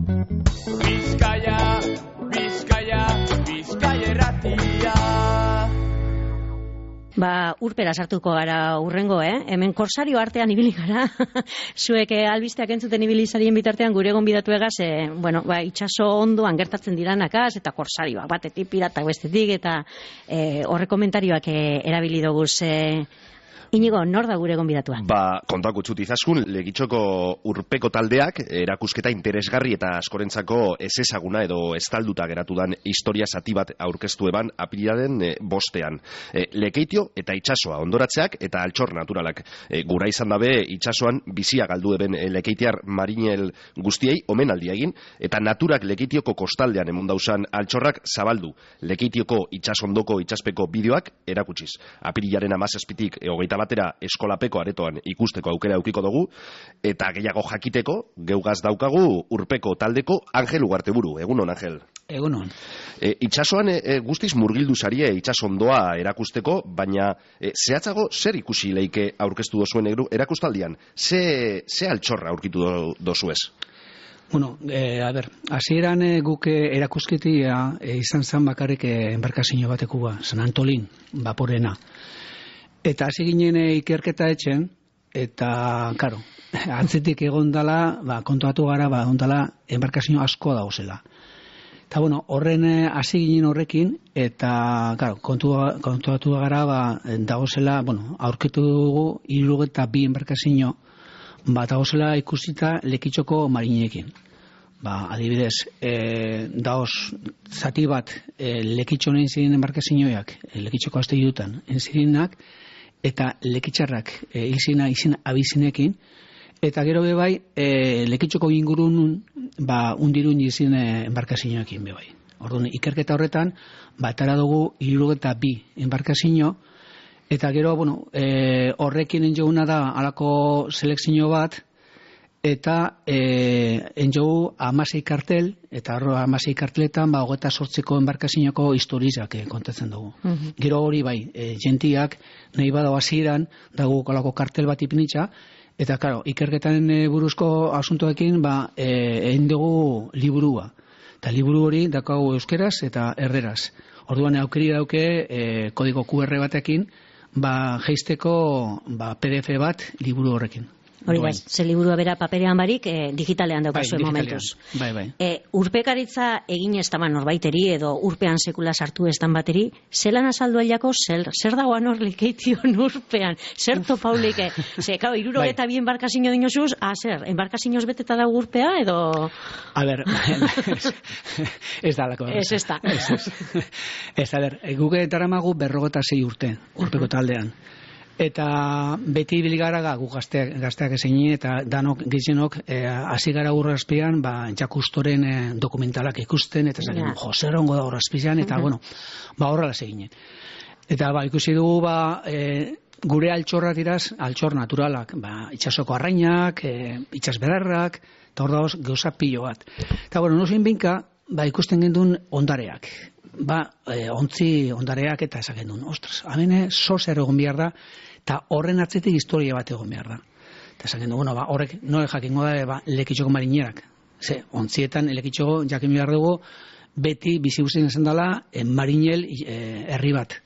Bizkaia, Bizkaia, Bizkaia erratia. Urpera sartuko gara urrengo, Hemen korsario artean ibili gara. Zuek albisteak entzuten ibili zarien bitartean gure gonbidatu egaz, itxaso ondoan gertatzen diranakaz, eta korsarioak batetik, piratak bestetik, eta horre komentarioak erabili doguz. Inigo, nor da gure gonbidatua? Kontako txutizaskun, Legitxoko urpeko taldeak erakusketa interesgarri eta askorentzako ezezaguna edo estalduta geratu dan historia zati bat aurkeztu eban apirilaren bostean. Lekeitio eta itxasoa ondoratzeak eta altxor naturalak. Gura izan dabe itxasoan bizia galdu eben lekeitiar marinel guztiei omenaldia egin, eta naturak Lekeitioko kostaldean emundausan altxorrak zabaldu. Lekeitioko itxasondoko itxaspeko bideoak erakutsiz. Apirilaren 17tik 21 batera eskolapeko aretoan ikusteko aukera eukiko dugu, eta gehiago jakiteko, geugaz daukagu urpeko taldeko Angel Ugarteburu. Egunon, Angel? Egunon. Itxasoan guztiz murgildu zarie itxasondoa erakusteko, baina zehatzago zer ikusi leike aurkeztu dozuen erakustaldian? Ze altxorra aurkitu dozuez? Hasieran guk erakusketia izan zan bakarrik enbarkazio batekua, San Antolin, vaporena. Eta hasi ginen ikerketa etxen, eta, atzetik egon dala, kontuatu gara, ondala, enbarkazio asko dauzela. Eta, horren hasi ginen horrekin, eta, kontuatu gara, dauzela, aurkitu dugu, 72 enbarkazio, dauzela ikusita Lekitxoko marineekin. Adibidez, daoz zati bat Lekitxo nahin ziren enbarkazioak, Lekitxoko azte dutan, enzirinak, eta lekitxarrak izina abizinekin, eta gero bebai Lekitxoko ingurun undirun izin enbarkazioekin bebai. Orduan, ikerketa horretan, batara dugu 72 enbarkazio, eta gero, horrekin enjoguna da alako selekzio bat, eta enjogu 16 kartel, eta 16 karteletan 28ko enbarkazinoko historizak kontatzen dugu. Gero hori bai, jentiak nahi bada hasieran dago kalako kartel bat ipinitza, eta ikerketan buruzko asuntoekin egin dugu liburua. Eta liburu hori daukagu euskeraz eta erderaz. Orduan aukeri dauke kodigo QR batekin jeisteko PDF bat liburu horrekin. Hori da, ze liburua bera paperean barik, digitalean daukazue momentuz. Urpekaritza egin ez taman norbaiteri, edo urpean sekula sartu ez tan bateri, zelan azaldu ailako, zer dagoan hor Lekeition urpean, zer topaulik, ze, kau, 72 enbarkazio dinozuz, zer, enbarkazioz beteta dago urpea, edo... A ber, ez da lako. Ez da. Ez, a ber, guke daramagu 56 urte, urpeko taldean. Eta beti bilgara gu gazteak ezein, eta danok gizenok hasi gara urrazpian Jakustoren dokumentalak ikusten, eta zaten, zer ongo da urrazpian, eta horrela seginen. Eta ikusi dugu gure altxorra diraz, altxor naturalak, itxasoko arrainak, itxasbedarrak, eta hor dagoz gauza pilo bat. Eta nozein binka, ikusten gendun ondareak. Ontzi ondareak eta esaken duen, ostras, hemen zozer egon behar da, eta horren atzetik historia bat egon behar da. Eta esaken duen, horrek nore jakingo da Lekitxoko marinerak. Ze, ontzietan Lekitxoko jakin behar dugu, beti bizi guztien esan dela marinel herri bat.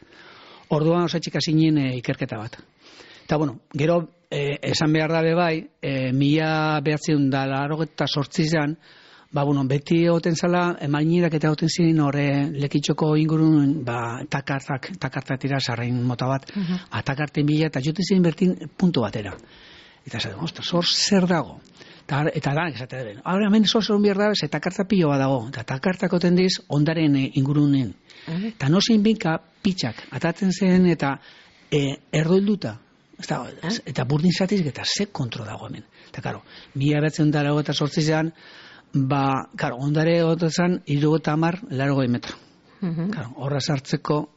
Orduan osatxik hasinen ikerketa bat. Eta, gero, esan behar da bebai, 1988an, beti egoten zala, marinerak eta egoten ziren horre Lekitxoko ingurun takartak tira sarrain mota bat, atakarten bila, eta joten ziren bertin puntu batera. Eta zaten, ostras, hor zer dago? Eta da, esatea den, hemen zozer behar da, ze takarta pilo bat dago, eta takartak oten diz ondaren ingurunen. Eta nozin binka pitxak atatzen zen, eta erdoilduta. Eta burdin zatiz, eta ze kontro dago hemen. Eta, karo, 1988an, ondare gotezan 70-80 metro. Horra sartzeko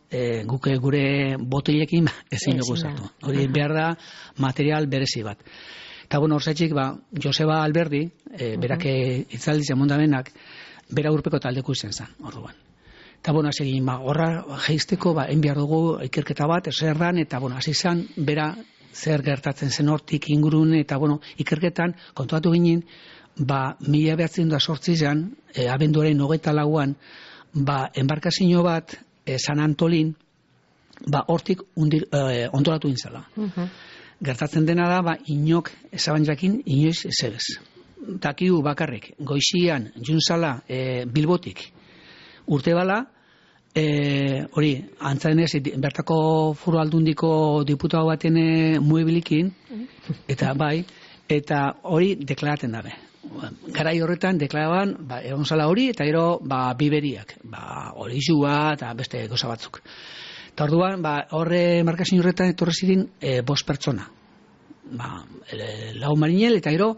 guke gure botilekin ezin dugu sartu. Hori behar da material berezi bat. Eta horzetxik, Joseba Alberdi, berak itzaldiz emondamenak, bera urpeko taldeko izen zen, orduan. Eta segin, horra jeizteko, enbiar dugu ikerketa bat, zer dan, eta hasi zen, bera zer gertatzen zen hortik ingurun, eta ikerketan kontuatu ginen, 1908an, abenduaren 24an, enbarkazio bat, San Antolin, hortik ondoratu intzala. Gertatzen dena da, inok ezaban jakin, inoiz ezebez. Takiu bakarrik, goizian, juntzala, Bilbotik, urte bala, hori, antzadenez, bertako Foru Aldundiko diputatu baten muebilikin, eta eta hori deklaraten dabe. Garai horretan deklaraban, egon zala hori, eta gero, biberiak, hori zua, eta beste goza batzuk. Eta orduan, horre markazin horretan etorri ziren 5 pertsona. 4 marinel, eta gero,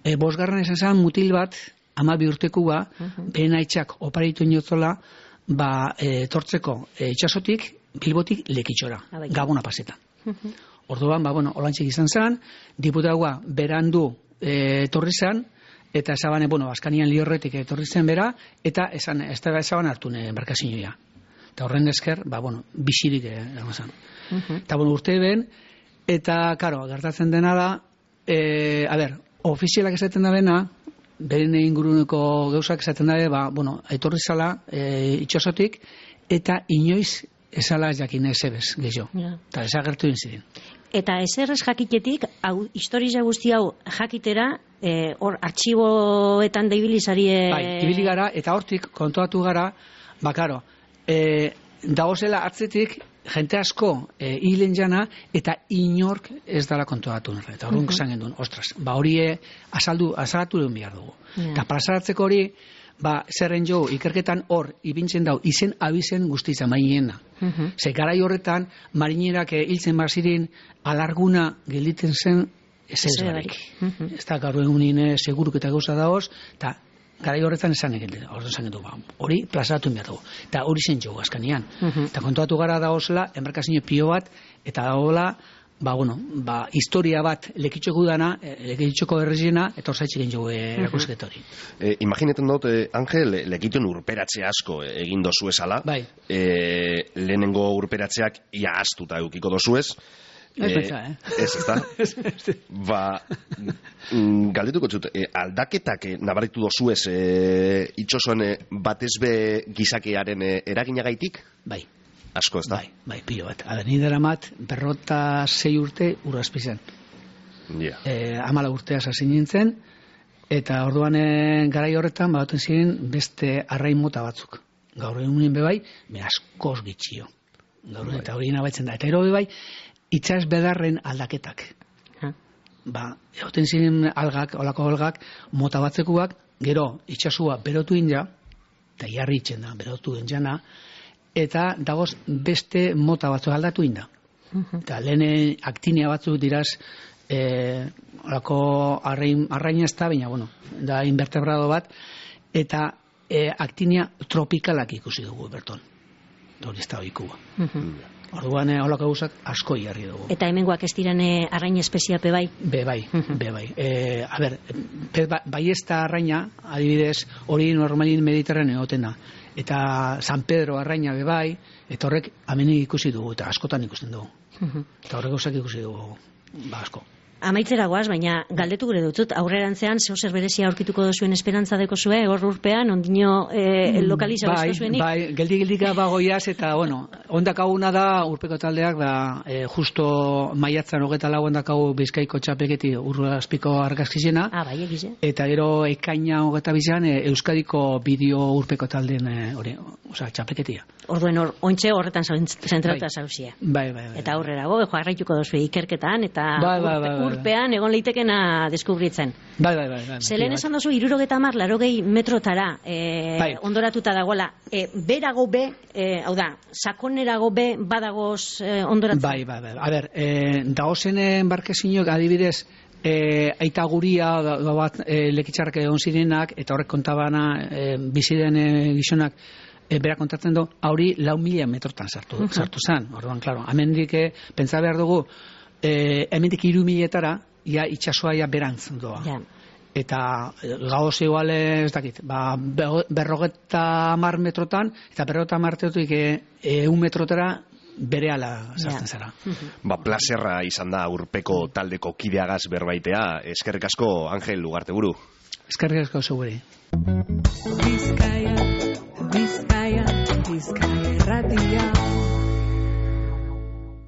5. esan zen mutil bat, 12 urtekua, behen aitzak oparitu inotzola, tortzeko itxasotik, Bilbotik lekitxora, Gabona pasetan. Orduan, olantxik izan zen, diputatua berandu torri zen, eta esaban, Baskanian Liorretik torri zen bera, eta esaban hartu embarkazioa. Eta horren esker, bizirik egon zen. Eta urte ben, eta, karo, gertatzen dena da, ofizialak esaten da bena, beren inguruneko gauzak esaten dabe, etorri zala itxasotik, eta inoiz ezala jakin ezebez, gehiago. Eta ezagertu ziren. Eta ezerrez jakitetik, historia guzti hau jakitera, hor artxiboetan da ibilizarie... Ibili gara, eta hortik kontuatu gara, karo, dagozela atzetik, jente asko hilen jana, eta inork ez dala kontuatu nire. Eta horrek esan gendun, ostras, hori azalatu duen behar dugu. Eta plazaratzeko hori, zerren jo, ikerketan hor, ibintzen dau, izen abizen guztitza mainiena. Ze garai horretan, marinerak hiltzen bazirin, alarguna gelditzen zen ezerarik. Ez da, gaur egunin seguruk eta gauza daoz, eta garai horretan esan egin du, hori plazaratu behar dugu. Eta hori zen jo, azkanian. Eta kontuatu gara daozela, embarkazio pio bat, eta dagoela, historia bat lekitxoko dana, lekitxoko erreziena, eta orzaitzik egin jo erakusket hori. Imaginetan dut, Angel, lekituen urperatze asko egin dozu esala. Lehenengo urperatzeak ia astuta eukiko dozuez. Ez da? Galdetuko txut, aldaketak nabaritu dozuez itxosoen batezbe gizakearen eraginagaitik? Bai. Asko, ez da? Bai, pilo bat. Ni daramat, 56 urte urrazpizan. 14 urtea zazin nintzen, eta orduan garai horretan, bauten ziren beste arrain mota batzuk. Gaur egunen bebai, askoz gitxio. Eta hori nabaitzen da. Eta ero bebai, itxas bedarren aldaketak. Egoten ziren olako algak, mota batzekuak, gero itxasua berotu inja, eta jarri itxen da, berotu injana, eta dagoz beste mota batzuk aldatu inda. Eta lehen aktinia batzuk diraz, olako arraina ez da, baina, da invertebrado bat, eta aktinia tropikalak ikusi dugu, berton. Hori ez da oikua. Orduan holako gauzak asko jarri dugu. Eta hemengoak ez diren arrain espeziape bai? Bai. Bai ez da arraina, adibidez, hori normalin mediterraneo egoten da. Eta San Pedro arraina bai, eta horrek amenik ikusi dugu, eta askotan ikusten dugu. Eta horrek gauzak ikusi dugu, asko. Amaitzera goaz, baina galdetu gure dutut, aurrerantzean zer berezia aurkituko dozuen esperantza deko zue, hor urpean, ondino lokaliza bezko zuenik? Bai, geldi-geldika bagoiaz, eta, ondak hauna da, urpeko taldeak, justo maiatzan 24 ondak hau Bizkaiko txapelketi urrazpiko argazkizena, bai, egize. Eta gero ekaina 22an Euskadiko bideo urpeko taldeen txapelketia. Orduen ontxe horretan zentratuta zauzia. Bai. Eta aurrera go, jarraituko dozue ikerketan, eta urpean egon lehitekena deskubritzen. Bai. Zelen esan dozu, 70, 80 metrotara ondoratuta dagoela. Berago be, hau da, sakonerago be badagoz ondoratuta? Bai. A ber, dagozen embarkezinok adibidez, aita guria bat lekitxarrak egon zirenak, eta horrek kontabana biziden gizonak bera kontatzen du, hori 4.000 metrotan sartu zen. Orduan, klaro, hemendik pentsa behar dugu, hemendik 3.000-etara, ia itxasoa ia berantz doa. Eta gauz igual ez dakit, 50 metrotan, eta 50 metrotik 1 metrotara berehala sartzen zara. Plazerra izan da urpeko taldeko kideagaz berbaitea. Eskerrik asko, Angel Ugarteburu. Eskerrik asko zure.